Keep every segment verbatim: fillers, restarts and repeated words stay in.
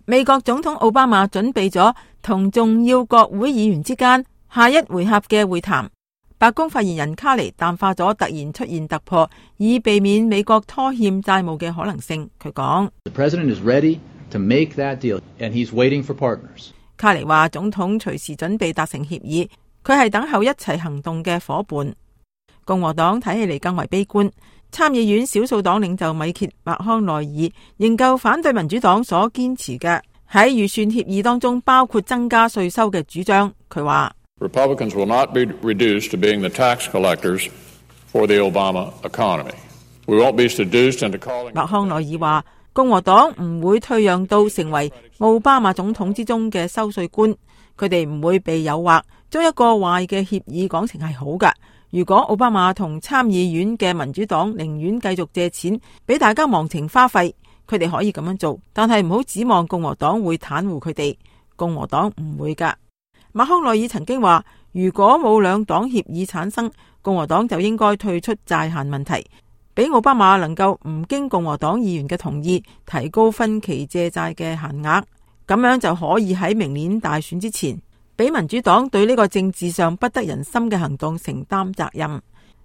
美國總統奧巴馬準備咗同重要國會議員之間下一回合嘅會談。白宮發言人卡尼淡化咗突然出現突破，以避免美國拖欠債務嘅可能性。佢講： The president is ready to make that deal, and he's waiting for partners. 卡尼話總統隨時準備達成協議，佢係等候一齊行動嘅夥伴。共和黨睇起嚟更為悲觀，參議院少數黨領袖米歇麥康奈爾仍舊反對民主黨所堅持嘅喺預算協議當中包括增加稅收嘅主張。佢話Republicans will not be reduced to being the tax collectors for the Obama economy. We won't be seduced into calling. 麥康奈爾話，共和黨唔會退讓到成為奧巴馬總統之中嘅收稅官，佢哋唔會被誘惑將一個壞嘅協議講成係好㗎。如果奧巴馬同參議院嘅民主黨寧願繼續借錢俾大家忘情花費，佢哋可以咁樣做，但係唔好指望共和黨會袒護佢哋，共和黨唔會㗎。麥康奈爾曾經話，如果冇兩黨協議產生，共和黨就應該退出債限問題，俾奧巴馬能夠唔經共和黨議員嘅同意提高分期借債嘅限額，咁樣就可以喺明年大選之前俾民主黨對呢個政治上不得人心嘅行動承擔責任。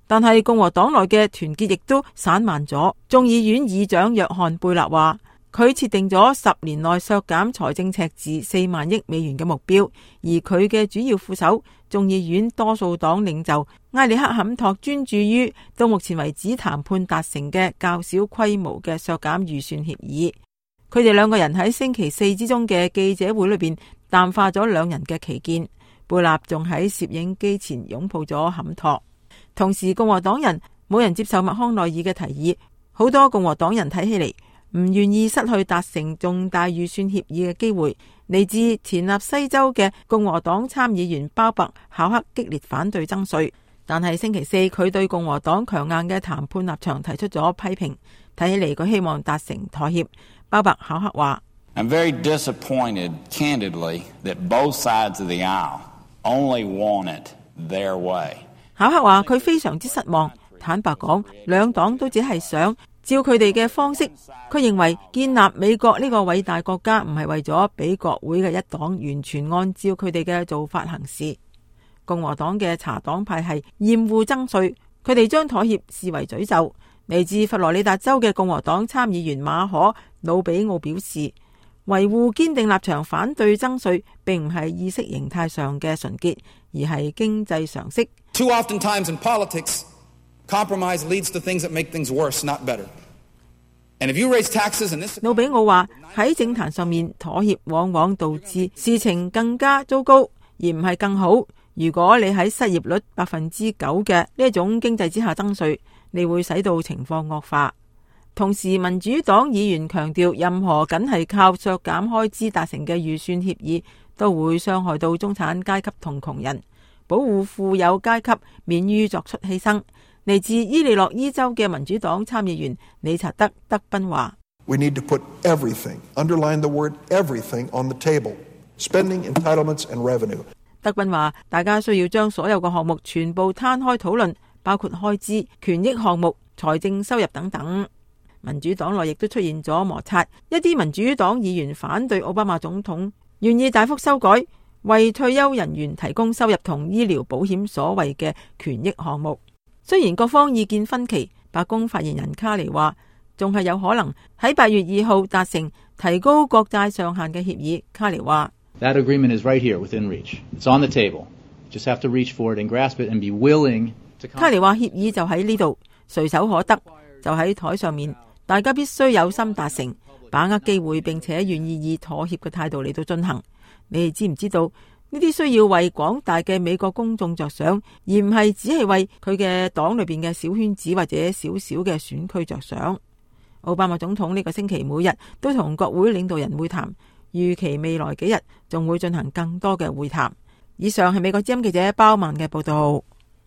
但係共和黨內嘅團結亦都散漫咗。眾議院議長約翰貝勒話，佢設定咗十年內削減財政赤字四萬億美元嘅目標，而佢嘅主要副手眾議院多數黨領袖埃里克坎托專注於到目前為止談判達成嘅較小規模嘅削減預算協議。佢哋兩個人喺星期四之中嘅記者會裏邊淡化咗兩人嘅歧見。貝納仲喺攝影機前擁抱咗坎托。同時共和黨人冇人接受麥康奈爾嘅提議，好多共和黨人睇起嚟唔願意失去達成重大預算協議嘅機會。嚟自田納西州嘅共和黨參議員鮑伯考克激烈反對增稅，但係星期四佢對共和黨強硬嘅談判立場提出咗批評。睇起嚟佢希望達成妥協。鮑伯考克話I'm very disappointed, candidly, that both sides of the aisle only want it their way. 考克話佢非常之失望，坦白講，兩黨都只係想照佢哋嘅方式。佢認為建立美國呢個偉大國家唔係為咗俾國會嘅一黨完全按照佢哋嘅做法行事。共和黨嘅茶黨派係厭惡增稅，佢哋將妥協視為詛咒。嚟自佛羅里達州嘅共和黨參議員馬可魯比奧表示，維護堅定立場反對增稅並唔係意識形態上嘅純潔，而係經濟常識。Too often times in politics, compromise leads to things that make things worse, not better. And if you raise taxes in this... 魯比奧話喺政壇上面妥協往往導致事情更加糟糕，而唔係更好。如果你喺失業率百分之九嘅呢一種經濟之下增稅，你會使到情況惡化。同時民主黨議員強調，任何僅係靠削減開支達成嘅預算協議都會傷害到中產階級同窮人，保護富有階級免於作出犧牲。嚟自伊利諾伊州嘅民主黨參議員理查德·德賓話 We need to put everything, underline the word everything on the table, spending, entitlements and revenue. 德賓話大家需要將所有嘅項目全部攤開討論，包括開支、權益項目、財政收入等等。民主黨內亦都出現咗摩擦，一啲民主黨議員反對奧巴馬總統願意大幅修改為退休人員提供收入同醫療保險所謂嘅權益項目。雖然各方意見分歧，白宮發言人卡尼話仲係有可能喺八月二號達成提高國債上限嘅協議。卡尼話That agreement is right here within reach. It's on the table. Just have to reach for it and grasp it and be willing to... 卡尼話協議就喺呢度，隨手可得，就喺台上面。大家必須有心達成，把握機會，並且願意以妥協嘅態度嚟到進行。你哋知唔知道呢啲需要為廣大嘅美國公眾着想，而唔係只係為佢嘅黨裏邊嘅小圈子或者小小嘅選區着想。奧巴馬總統呢個星期每日都同國會領導人會談，預期未來幾日仲會進行更多嘅會談。以上係美國之音記者包曼嘅報道。